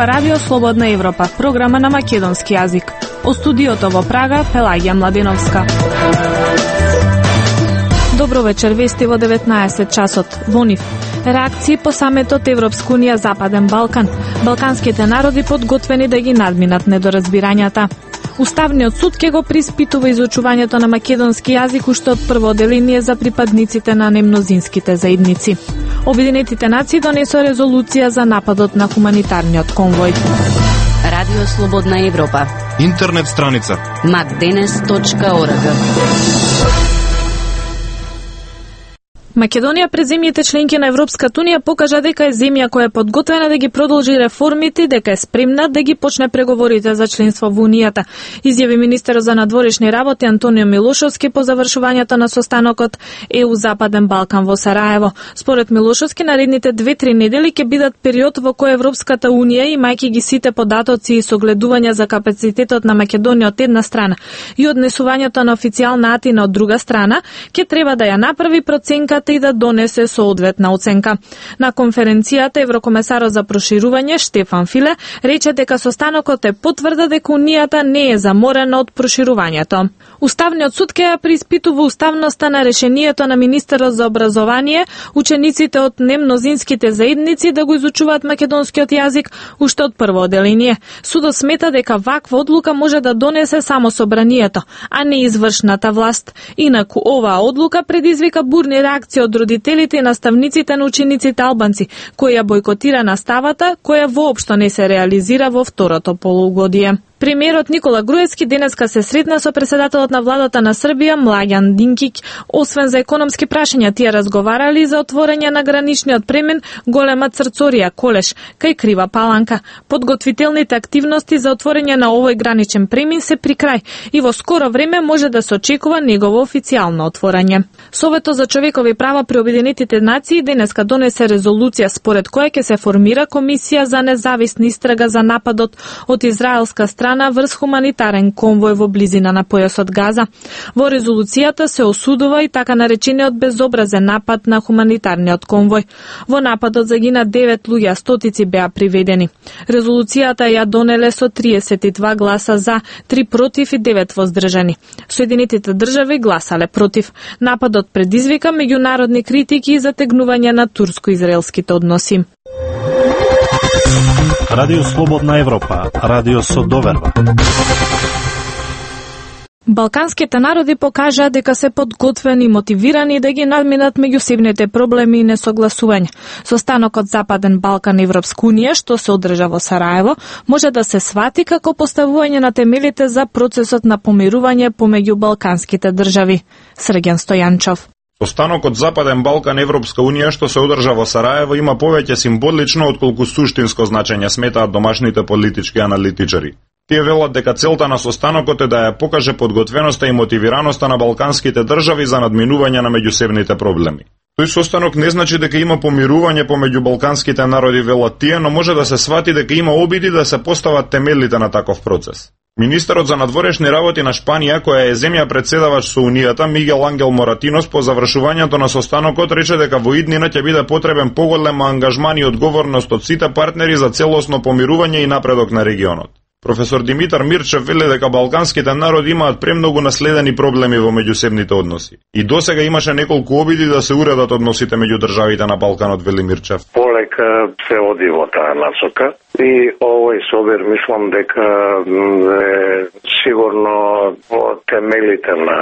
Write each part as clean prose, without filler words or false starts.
Ова Радио Слободна Европа, програма на македонски јазик. О студиото во Прага, Пелагија Младеновска. Добро вечер, вести во 19 часот. Во нив реакции по саметот Европска унија Западен Балкан. Балканските народи подготвени да ги надминат недоразбирањата. Уставниот суд ќе го приспитува изучувањето на македонски јазик уште од прво одделение за припадниците на немнозинските заедници. Обединетите нации донесоа резолуција за нападот на хуманитарниот конвој. Радио Слободна Европа. Интернет страница macdenes.org. Македонија пред земјите членки на Европската унија покажа дека е земја која е подготвена да ги продолжи реформите и дека е спремна да ги почне преговорите за членство во Унијата, изјави министерот за надворешни работи Антонио Милошовски по завршувањето на состанокот ЕУ Западен Балкан во Сараево. Според Милошовски, наредните 2-3 недели ќе бидат период во кој Европската унија, имајќи ги сите податоци и согледувања за капацитетот на Македонија од една страна и однесувањето на официјална Атина од друга страна, ќе треба да ја направи проценката и да донесе соодветна оценка. На конференцијата еврокомесарот за проширување Штефан Филе рече дека состанокот е потврда дека Унијата не е заморена од проширувањето. Уставниот суд ќе ја преиспитува уставноста на решението на министерот за образование учениците од немнозинските заедници да го изучуваат македонскиот јазик уште од прво одделение. Судот смета дека ваква одлука може да донесе само собранието, а не извршната власт. Инаку оваа одлука предизвика бурни реакции од родителите и наставниците на учениците албанци, кои ја бойкотира наставата, која воопшто не се реализира во второто полугодие. Премиерот Никола Груевски денеска се сретна со председателот на владата на Србија Младен Динкиќ. Освен за економски прашања, тие разговарали за отворање на граничниот премен Голема Црцорија Колеш кај Крива Паланка. Подготвителните активности за отворање на овој граничен премен се при крај и во скоро време може да се очекува негово официјално отворање. Советот за човекови права при Обединетите нации денеска донесе резолуција според која ќе се формира комисија за независна истрага за нападот од израелска страна врз хуманитарен конвој во близина на појасот Газа. Во резолуцијата се осудува и така наречениот безобразен напад на хуманитарниот конвој. Во нападот загина 9 луѓе, а стотици беа приведени. Резолуцијата ја донеле со 32 гласа за, 3 против и 9 воздржани. Соединетите држави гласале против. Нападот предизвика меѓународни критики и затегнување на турско-израелските односи. Радио Слободна Европа, радио со доверба. Балканските народи покажаа дека се подготвени и мотивирани да ги надминат меѓусебните проблеми и несогласувања. Состанокот Западен Балкан Европска унија, што се одржа во Сараево, може да се свати како поставување на темелите за процесот на помирување помеѓу балканските држави. Срген Стојанчов. Состанокот Западен Балкан Европска унија што се одржа во Сараево има повеќе символично отколку суштинско значење, сметаат домашните политички аналитичари. Тие велат дека целта на состанокот е да ја покаже подготвеноста и мотивираноста на балканските држави за надминување на меѓусебните проблеми. Тој состанок не значи дека има помирување помеѓу балканските народи, велат тие, но може да се свати дека има обиди да се постават темелите на таков процес. Министерот за надворешни работи на Шпанија, која е земја председавач со Унијата, Мигел Ангел Моратинос, по завршувањето на состанокот рече дека во иднина ќе биде потребен поголем ангажман и одговорност од сите партнери за целосно помирување и напредок на регионот. Професор Димитар Мирчев вели дека балканските народи имаат премногу наследени проблеми во меѓусебните односи. И досега имаше неколку обиди да се уредат односите меѓу државите на Балканот, вели Мирчев. Полека се оди во таа насока и овој собир мислам дека е сигурно во темелите на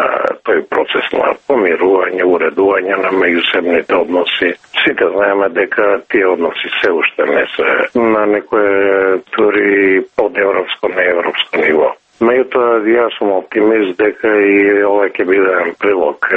тој процес на помирување, уредување на меѓусебните односи. Сите знаеме дека тие односи се уште не се на некое дури од европско на европско ниво. Меѓутоа, јас сум оптимист дека и ова ќе биде прилог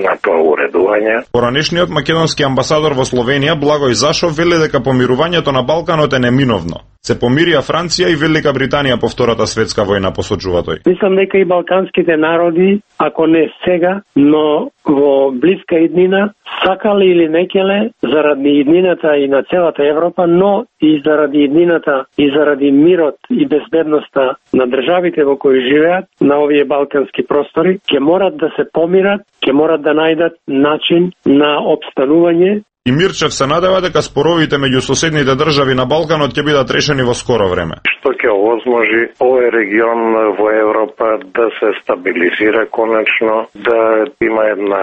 на тоа уредување. Поранешниот македонски амбасадор во Словенија Благој Зашов вели дека помирувањето на Балканот е неминовно. Се помирија Франција и Велика Британија по Втората светска војна, посочува тој. Мислам дека и балканските народи, ако не сега, но во блиска иднина, сакале или некеле, заради иднината и на целата Европа, но и заради иднината и заради мирот и безбедноста на државите во кои живеат на овие балкански простори, ќе морат да се помират, ќе морат да најдат начин на обстанување И Мирчев се надева дека споровите меѓу соседните држави на Балканот ќе бидат решени во скоро време. Што ќе овозможи овој регион во Европа да се стабилизира конечно, да има една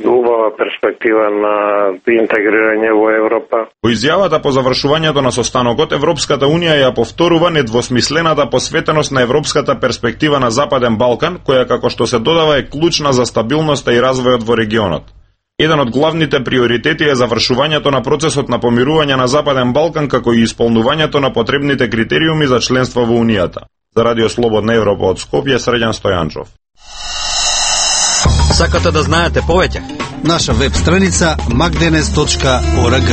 убава перспектива на интегрирање во Европа. Во изјавата по завршувањето на состанокот, Европската Унија ја повторува недвосмислената посветеност на европската перспектива на Западен Балкан, која како што се додава е клучна за стабилноста и развојот во регионот. Еден од главните приоритети е завршувањето на процесот на помирување на Западен Балкан, како и исполнувањето на потребните критериуми за членство во Унијата. За Радио Слободна Европа од Скопје, Среđan Стојанчов. Сакате да знаете повеќе? Наша веб страница magdenes.org.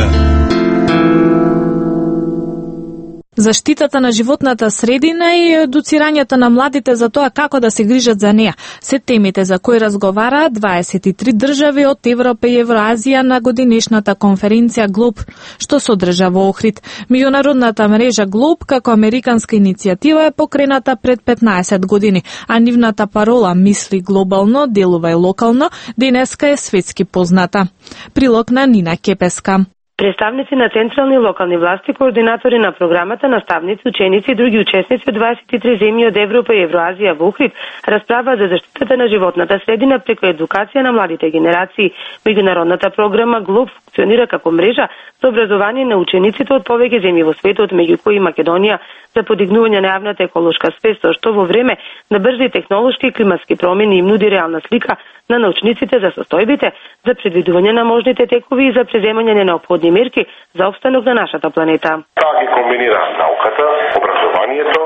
Заштитата на животната средина и едуцирањето на младите за тоа како да се грижат за неа се темите за кои разговараат 23 држави од Европа и Евроазија на годинешната конференција ГЛОБ, што се одржа во Охрид. Меѓународната мрежа ГЛОБ како американска иницијатива е покрената пред 15 години, а нивната парола "Мисли глобално, делувај локално" денеска е светски позната. Прилог на Нина Кепеска. Представници на централни и локални власти, координатори на програмата, наставници, ученици и други учесници од 23 земји од Европа и Евроазија во Охрид расправаат за заштитата на животната средина преку едукација на младите генерации. Меѓународната програма ГЛОБ функционира како мрежа за образование на учениците од повеќе земји во светот, меѓу кои Македонија, за подигнување на јавната еколошка свест, што во време на брзи технолошки и климатски промени им нуди реална слика на научниците за состојбите, за предвидување на можните текови и за преземање на неопходни мерки за опстанок на нашата планета. Таа ги комбинира науката, образованието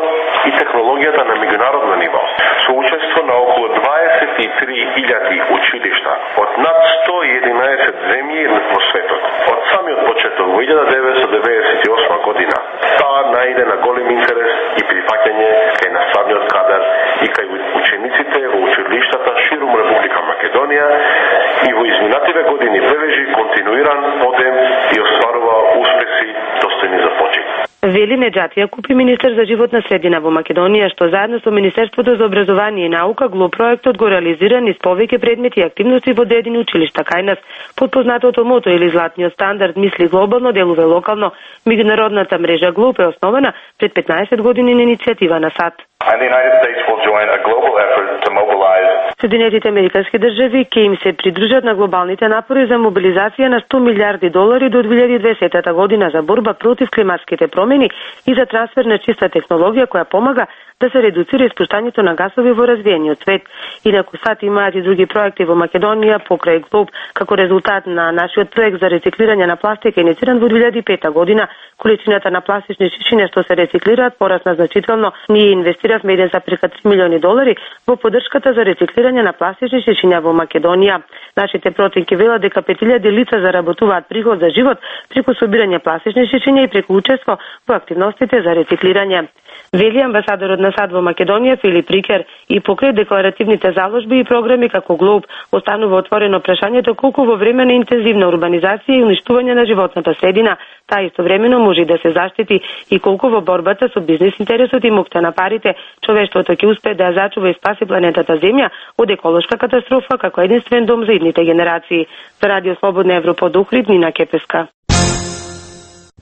и технологијата на меѓународно ниво, со учество на околу 23.000 училишта од над 111 земји во светот. Од самиот почеток во 1998 година, таа најде на голем интерес и прифаќање кај наставниот кадар и кај учениците во училиштата ширум Република Македонија и во изминативе години бележи континуиран подем и остварува успеси достојни за почит. Вели Неџати Јакупи, министер за животна средина во Македонија, што заедно со Министерството за образование и наука ГЛОБ проектот го реализира низ повеќе предмети и активности во одредени училишта кај нас. Под познатото мото или златниот стандард "Мисли глобално, делувај локално", меѓународната мрежа ГЛОБ е основана пред 15 години на иницијатива на САД. Соединетите американски држави ќе им се придружат на глобалните напори за мобилизација на $100 милиарди до 2020 година за борба против климатските промени и за трансфер на чиста технологија која помага да се редуцира испуштањето на гасови во развиениот свет. Инаку САД имаат и други проекти во Македонија покрај ГЛОБ, како резултат на нашиот проект за рециклирање на пластика иницииран во 2005 година, количината на пластични шишиња што се рециклираат порасна значително. Ние инвестиравме еден за прека $3 милиони во поддршката за рециклирање на пластични шишиња во Македонија. Нашите проценки велат дека 5.000 лица заработуваат приход за живот преку собирање пластични шишиња и преку учество во активностите за рециклирање. Вели амбасадорот на САД во Македонија Филип Рикер, и покрај декларативните заложби и програми како ГЛОБ останува отворено прашањето колку во време на интензивна урбанизација и уништување на животната средина таа истовремено може да се заштити и колку во борбата со бизнис интересот и мукта на парите човештвото ќе успее да ја зачува и спаси планетата Земја од еколошка катастрофа како единствен дом за идните генерации. За Радио Слободна Европа од Охрид, Нина Кепеска.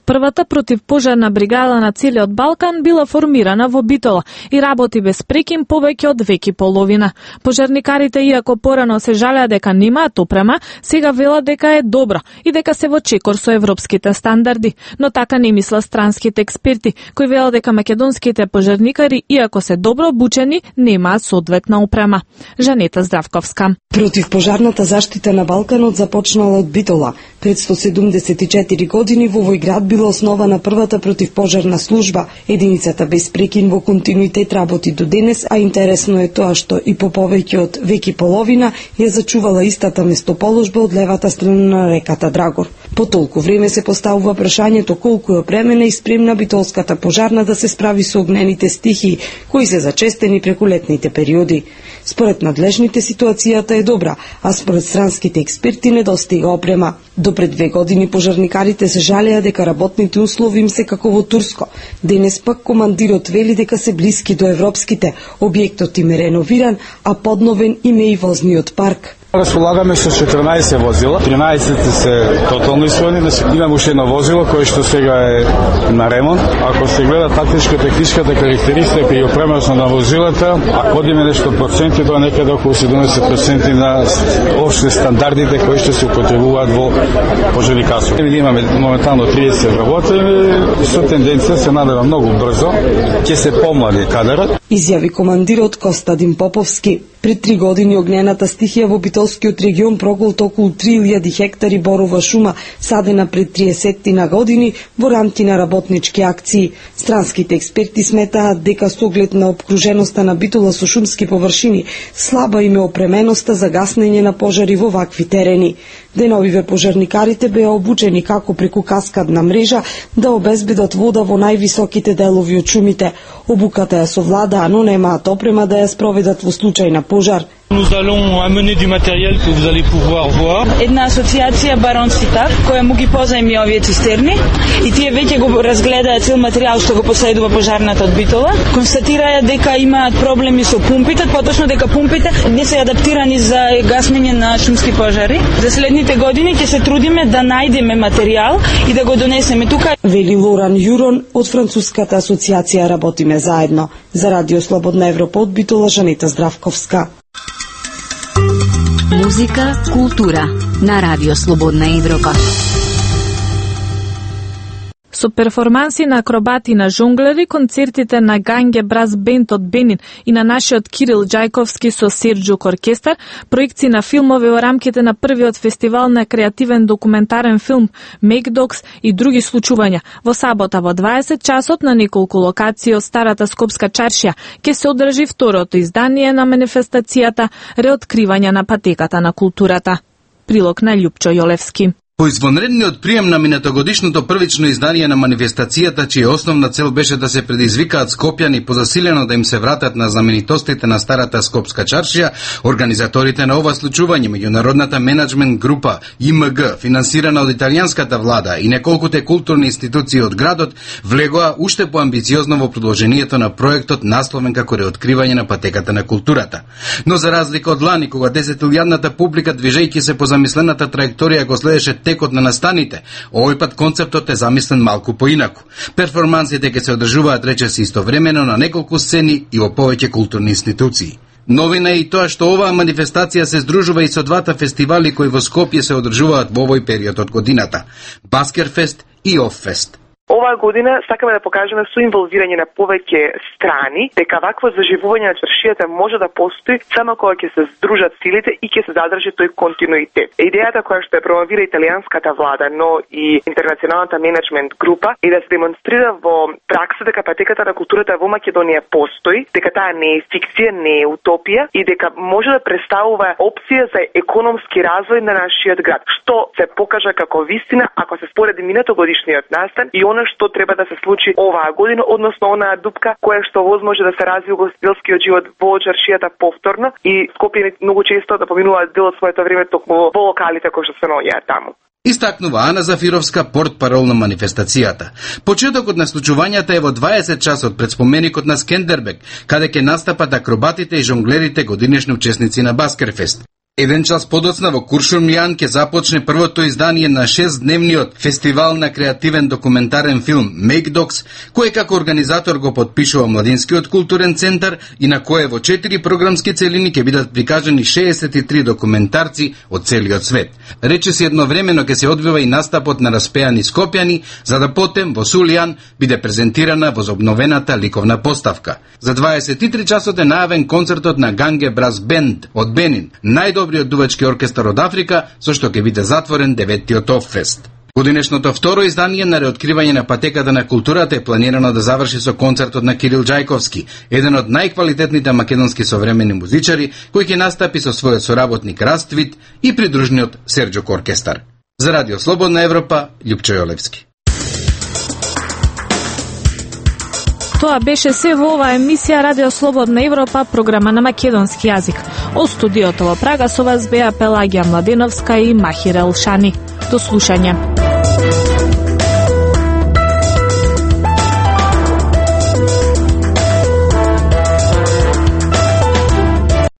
Првата противпожарна бригада на целиот Балкан била формирана во Битола и работи без прекин повеќе од век и половина. Пожарникарите, иако порано се жалеа дека немаат опрема, сега велат дека е добро и дека се во чекор со европските стандарди, но така не мислат странските експерти, кои велат дека македонските пожарникари, иако се добро обучени, немаат соодветна опрема. Жанета Здравковска. Противпожарната заштита на Балканот започнала од Битола. Пред 174 години во овој град била основана првата противпожарна служба. Единицата без прекин во континуитет работи до денес, а интересно е тоа што и по повеќе од век и половина ја зачувала истата местоположба од левата страна на реката Драгор. По толку време се поставува прашањето колку е опремена и спремна битолската пожарна да се справи со огнените стихии, кои се зачестени преку летните периоди. Според надлежните ситуацијата е добра, а според странските експерти недостига опрема. До пред 2 години пожарникарите се жалеа дека работните услови им се како во Турско. Денес пак командирот вели дека се блиски до европските. Објектот им е реновиран, а подновен им е и возниот парк. Располагаме со 14 возила, 13 се тотално исправни, имаме уште едно возило кое што сега е на ремонт. Ако се гледа тактичко-техничката карактеристика и опременост на возилата, ако одиме нешто проценти, тоа некаде околу 70% на општи стандардите кои што се употребуваат во пожарникарството. Имаме моментално 30 вработени, со тенденција се надева многу брзо, ќе се помлади кадарот. Изјави командирот Костадин Поповски. Пред 3 години огнената стихија во Битолскиот регион проголта околу 3000 хектари борова шума, садена пред 30 на години во рамки на работнички акции. Странските експерти сметаат дека со оглед на обкруженоста на Битола со шумски површини, слаба им е опременоста за гаснење на пожари во вакви терени. Деновиве пожарникарите беа обучени како преку каскадна мрежа да обезбедат вода во највисоките делови од шумите. Обуката ја совладаа, но немаат опрема да ја спроведат во случај на пожар. Nous allons amener du matériel que vous allez pouvoir voir. Една асоциација баронски тав која му ги позајми овие цистерни и тие веќе го разгледаа цел материјал што го последува пожарната од Битола. Констатираа дека имаат проблеми со пумпите, поточно дека пумпите не се адаптирани за гаснење на шумски пожари. За следните години ќе се трудиме да најдеме материјал и да го донесеме тука. Вели Лоран Јурон од Француската асоциација Работиме заедно. За Радио Слободна Европа од Битола, Жанета Здравковска. Музика, култура на Радио Слободна Европа. Со перформанси на акробати на жонглери, концертите на Ганге Брас Бенд од Бенин и на нашиот Кирил Џајковски со Серџук оркестар, проекции на филмови во рамките на првиот фестивал на креативен документарен филм Make Dogs и други случувања. Во сабота во 20 часот на неколку локации од старата Скопска чаршија ќе се одржи второто издание на манифестацијата Реоткривање на патеката на културата. Прилог на Љупчо Јолевски. По извонредниот прием на минатогодишното првично издание на манифестацијата, чија основна цел беше да се предизвикаат скопјани позасилено да им се вратат на знаменитостите на старата Скопска чаршија, организаторите на ова случување, меѓународната менеджмент група ИМГ, финансирана од италијанската влада и неколкуте културни институции од градот, влегоа уште поамбициозно во продолжението на проектот насловен како Реоткривање на патеката на културата. Но за разлика од лани, кога 10.000-ната публика движејќи се по замислената траекторија го следеше текот на настаните, овој пат концептот е замислен малку поинаку. Перформансите ќе се одржуваат речиси истовремено на неколку сцени и во повеќе културни институции. Новина е и тоа што оваа манифестација се здружува и со двата фестивали кои во Скопје се одржуваат во овој период од годината – Баскерфест и Оффест. Оваа година сакаме да покажеме со инволвирање на повеќе страни дека вакво заживување на чаршијата може да постои само кога ќе се здружат силите и ќе се задржи тој континуитет. Идејата која што ја промовира италијанската влада, но и интернационалната менеджмент група е да се демонстрира во пракса дека патеката на културата во Македонија постои, дека таа не е фикција, не е утопија и дека може да представува опција за економски развој на нашиот град, што се покажа како вистина ако се спореди минатогодишниот настан и она што треба да се случи оваа година, односно онаа дупка која што возможно да се развие ugostителскиот живот во чаршијата повторно и Скопјани многу често да поминуваат дел од своето време токму во локалите кои што се наоѓаат таму. Истакнува Ана Зафировска, портпарол на манифестацијата. Почетокот на случувањата е во 20 часот пред споменикот на Скендербек, каде ќе настапат акробатите и жонглерите годинешни учесници на Баскерфест. Еден час подоцна во Куршумлијан ќе започне првото издание на 6-дневниот фестивал на креативен документарен филм Make Dogs, кој како организатор го подпишува Младинскиот културен центар и на кое во 4 програмски целини ќе бидат прикажани 63 документарци од целиот свет. Речиси едновремено ќе се одвива и настапот на распеани скопјани, за да потем во Сулијан биде презентирана возобновената ликовна поставка. За 23 часот е најавен концертот на Ганге Брас Бенд од Бенин, најдобриот дувачки оркестар од Африка, со што ќе биде затворен 9-тиот Оффест. Годинешното второ издание на Реоткривање на патеката на културата е планирано да заврши со концертот на Кирил Џајковски, еден од најквалитетните македонски современи музичари, кој ќе настапи со својот соработник Раствит и придружниот Серџук оркестар. За Радио Слободна Европа, Љупчо Јолевски. Тоа беше се во оваа емисија Радио Слободна Европа, програма на македонски јазик. Од студиото во Прага со вас беа Пелагија Младеновска и Махир Елшани. До слушање.